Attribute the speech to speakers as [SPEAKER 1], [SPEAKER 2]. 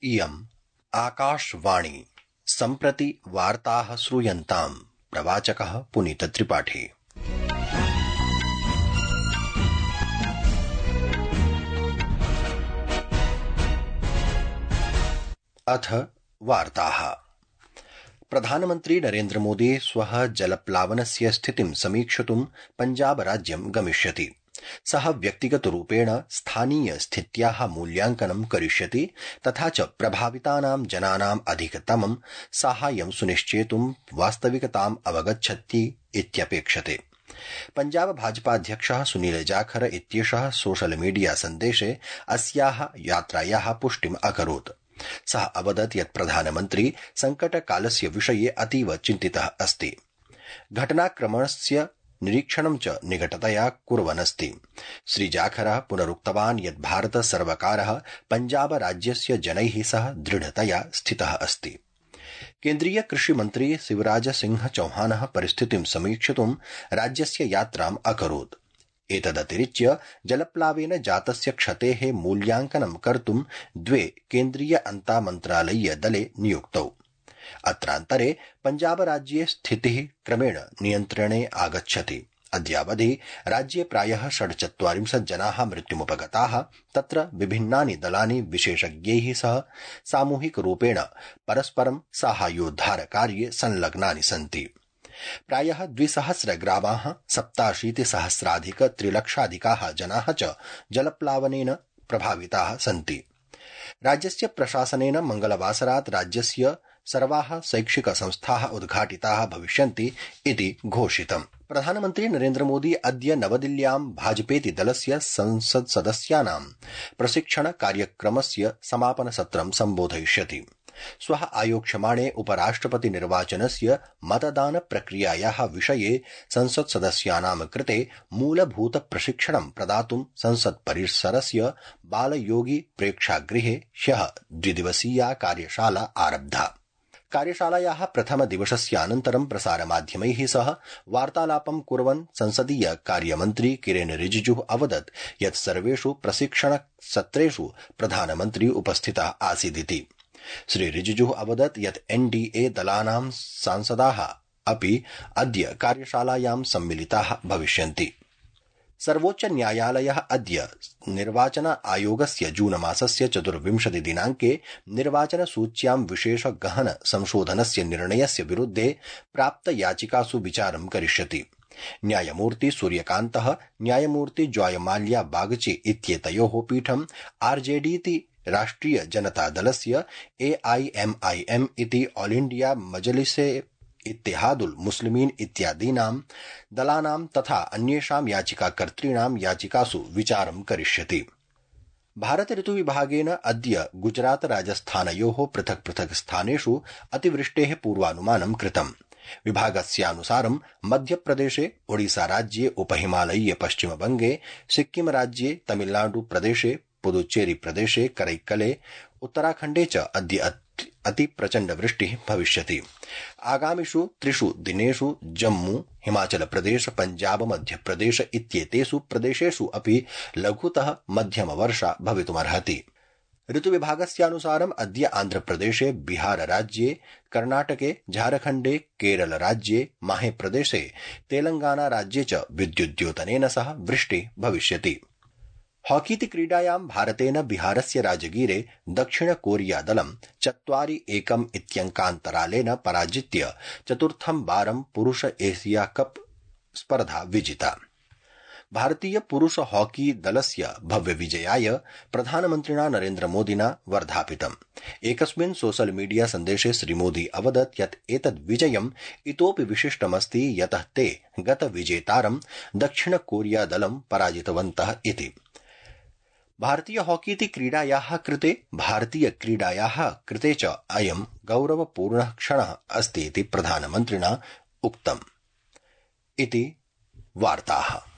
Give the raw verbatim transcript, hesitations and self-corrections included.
[SPEAKER 1] इयम् आकाशवाणी। सम्प्रति वार्ताः श्रूयन्ताम्। प्रवाचकः पुनीत त्रिपाठी। अथ वार्ताः। प्रधानमन्त्री नरेन्द्र मोदी श्वः जलप्लावनस्य स्थितिं समीक्षितुं पञ्जाब राज्यं गमिष्यति। सः व्यक्तिगतरूपेण स्थानीय स्थित्याः मूल्यांकनं करिष्यति तथा च प्रभावितानां जनानाम् अधिकतमं साहाय्यं सुनिश्चेतुं वास्तविकताम् अवगच्छति इत्यपेक्षते। पञ्जाब भाजपाध्यक्षः सुनील जाखर इत्येषः सोशल मीडिया सन्देशे अस्याः यात्रायाः पुष्टिम् अकरोत्। सः अवदत् यत् प्रधानमन्त्री संकटकालस्य विषये अतीव चिन्तितः अस्ति। घटनाक्रमस्य निरीक्षणं च निकटतया कुर्वन्नस्ति। श्रीजाखरः पुनरुक्तवान् यत् भारत सर्वकारः पञ्जाब राज्यस्य जनैः सह दृढतया स्थितः अस्ति। केन्द्रीय कृषि मन्त्री शिवराज सिंह चौहानः परिस्थितिं समीक्षितुं राज्यस्य यात्राम् अकरोत्। एतदतिरिच्य जलप्लावेन जातस्य क्षतेः मूल्यांकनं कर्तुं द्वे केन्द्रीय अन्तामन्त्रालयीय दले नियुक्तौ। अत्रान्तरे पञ्जाब राज्ये स्थितिः क्रमेण नियन्त्रणे आगच्छति। अद्यावधि राज्ये प्रायः षड्चत्वारिंशत् जनाः मृत्युमुपगताः। तत्र विभिन्नानि दलानि विशेषज्ञैः सह सामूहिकरूपेण परस्परं साहाय्योद्धारकार्ये संलग्नानि सन्ति। प्रायः द्विसहस्र ग्रामाः सप्ताशीतिसहस्राधिक त्रिलक्षाधिकाः जनाः च जलप्लावनेन प्रभाविताः सन्ति। राज्यस्य प्रशासनेन मंगलवासरात् राज्यस्य सर्वाः शैक्षिक संस्थाः उद्घाटिताः भविष्यन्ति इति घोषितम्। प्रधानमन्त्री नरेन्द्र मोदी अद्य नवदिल्ल्यां भाजपेति दलस्य संसत्सदस्यानां प्रशिक्षण कार्यक्रमस्य समापनसत्रं सम्बोधयिष्यति। श्वः आयोक्ष्यमाणे उपराष्ट्रपति निर्वाचनस्य मतदान प्रक्रियायाः विषये संसत्सदस्यानां कृते मूलभूत प्रशिक्षणं प्रदातुं संसत् परिसरस्य बालयोगी प्रेक्षागृहे ह्यः द्विदिवसीया कार्यशाला आरब्धा। कार्यशालायाः प्रथमदिवसस्यानन्तरं प्रसारमाध्यमैः सह वार्तालापं कुर्वन् संसदीय कार्यमन्त्री किरेन रिजिजुः अवदत् यत् सर्वेषु प्रशिक्षणसत्रेषु प्रधानमन्त्री उपस्थितः आसीदिति। श्री रिजिजुः अवदत् यत् एनडीए दलानां सांसदाः अपि अद्य कार्यशालायां सम्मिलिताः भविष्यन्ति। सर्वोच्च न्यायालयः अद्य निर्वाचन आयोगस्य जून मासस्य चतुर्विंशति दिनाङ्के निर्वाचनसूच्यां विशेष गहन संशोधनस्य निर्णयस्य विरुद्धे प्राप्त याचिकासु विचारं करिष्यति। न्यायमूर्ति सूर्यकान्तः न्यायमूर्ति जॉयमाल्या बागची इत्येतयोः पीठम् आरजेडीति राष्ट्रिय जनता दलस्य एआईएमआईएम इति ऑल इंडिया मजलिसे इत्तेहादुल मुस्लिमीन इत्यादीनां दलानां तथा अन्येषां याचिकाकर्तॄणां याचिकासु विचारं करिष्यति। भारत ऋतुविभागेन अद्य गुजरात राजस्थानयोः पृथक् पृथक् स्थानेषु अतिवृष्टेः पूर्वानुमानं कृतम्। विभागस्यानुसारं मध्यप्रदेशे ओडिसा राज्ये उपहिमालयीय पश्चिमबंगे सिक्किम राज्ये तमिलनाडु प्रदेशे पुदुचेरी प्रदेशे करैक्कले उत्तराखण्डे च अद्य अति प्रचंड वृष्टिः भविष्यति। आगामिषु त्रिषु दिनेषु जम्मू हिमाचल प्रदेश पंजाब मध्यप्रदेश इत्येतेषु प्रदेशेषु अपि लघुतः मध्यम वर्षा भवितुमर्हति। ऋतुविभागस्यानुसारम् अद्य आन्ध्रप्रदेशे बिहार राज्ये कर्णाटके झारखण्डे केरल राज्ये माहे प्रदेशे तेलंगाना राज्ये च विद्युद्योतनेन सह वृष्टिः भविष्यति। हॉकीति क्रीडायां भारतेन बिहारस्य राजगीरे दक्षिण कोरिया दलं चत्वारि एकम् इत्यङ्कान्तरालेन पराजित्य चतुर्थं वारं पुरुष एशिया कप स्पर्धा विजिता। भारतीय पुरुष हॉकी दलस्य भव्य विजयाय प्रधानमन्त्रिणा नरेन्द्र मोदिना वर्धापितम्। एकस्मिन् सोशल मीडिया सन्देशे श्रीमोदी अवदत् यत् एतद् विजयम् इतोपि विशिष्टमस्ति यतः ते गत विजेतारं दक्षिण कोरिया दलं पराजितवन्तः इति। भारतीय हॉकीति क्रीडायाः कृते भारतीय क्रीडायाः कृते च अयं गौरवपूर्णः क्षणः अस्ति इति प्रधानमन्त्रिणा उक्तम् इति वार्ताः।